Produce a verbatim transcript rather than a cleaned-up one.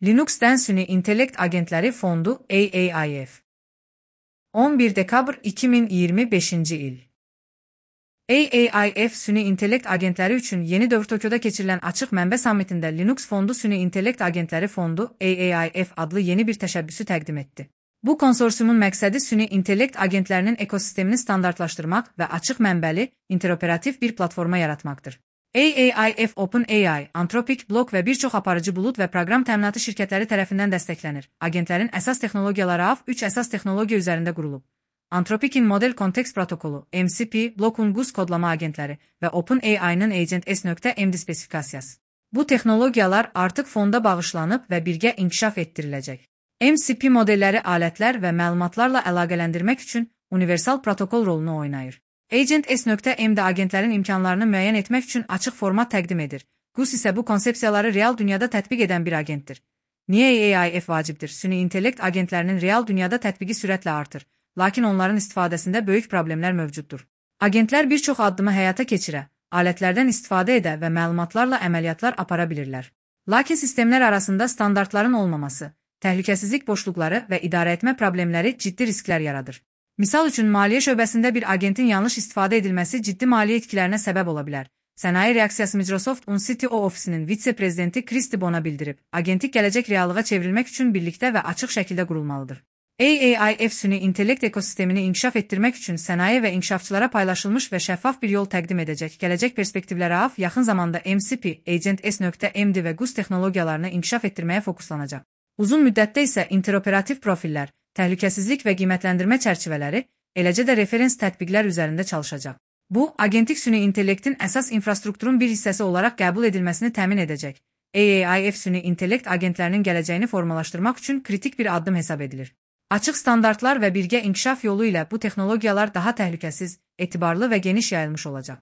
Linux'ten Süni İntellekt Agentleri Fondu A A I F on bir dekabr iki min iyirmi beşinci il A A I F Süni İntellekt Agentleri üçün yeni dövr Tokyo'da keçirilən açıq mənbə sammitində Linux Fondu Süni İntellekt Agentləri Fondu A A I F adlı yeni bir təşəbbüsü təqdim etdi. Bu konsorsiumun məqsədi süni intellekt agentlərinin ekosistemini standartlaşdırmaq və açıq mənbəli, interoperativ bir platforma yaratmaqdır. A A I F OpenAI, Anthropic, Block və bir çox aparıcı bulut və proqram təminatı şirkətləri tərəfindən dəstəklənir. Agentlərin əsas texnologiyaları A V üç əsas texnologiya üzərində qurulub. Anthropic'in Model Context Protokolu, M C P, Block'un Goose kodlama agentləri və OpenAI'nın Agent S.M spesifikasiyası. Bu texnologiyalar artıq fonda bağışlanıb və birgə inkişaf etdiriləcək. M C P modelləri alətlər və məlumatlarla əlaqələndirmək üçün universal protokol rolunu oynayır. Agent S.M də agentlərin imkanlarını müəyyən etmək üçün açıq format təqdim edir. Goose isə bu konsepsiyaları real dünyada tətbiq edən bir agentdir. Niyə A A I F vacibdir? Süni intellekt agentlərinin real dünyada tətbiqi sürətlə artır, lakin onların istifadəsində böyük problemlər mövcuddur. Agentlər bir çox addımı həyata keçirə, alətlərdən istifadə edə və məlumatlarla əməliyyatlar apara bilirlər. Lakin sistemlər arasında standartların olmaması, təhlükəsizlik boşluqları və idarəetmə problemləri ciddi risklər yaradır. Misal üçün, maliyyə şöbəsində bir agentin yanlış istifadə edilməsi ciddi maliyyə itkilərinə səbəb ola bilər. Sənaye Reaksiyası Microsoft'un C T O ofisinin vitse-prezidenti Kristi Bona bildirib, agentik gələcək reallığa çevrilmək üçün birlikdə və açıq şəkildə qurulmalıdır. A A I F süni intellekt ekosistemini inkişaf etdirmək üçün sənaye və inkişafçılara paylaşılmış və şəffaf bir yol təqdim edəcək. Gələcək perspektivləri A V yaxın zamanda M C P, Agent S.M və Goose texnologiyalarını inkişaf etdirməyə fokuslanacaq. Uzun müddətdə isə interoperativ profillər, təhlükəsizlik və qiymətləndirmə çərçivələri, eləcə də referens tətbiqlər üzərində çalışacaq. Bu, agentik süni intellektin əsas infrastrukturun bir hissəsi olaraq qəbul edilməsini təmin edəcək. A A I F süni intellekt agentlərinin gələcəyini formalaşdırmaq üçün kritik bir addım hesab edilir. Açıq standartlar və birgə inkişaf yolu ilə bu texnologiyalar daha təhlükəsiz, etibarlı və geniş yayılmış olacaq.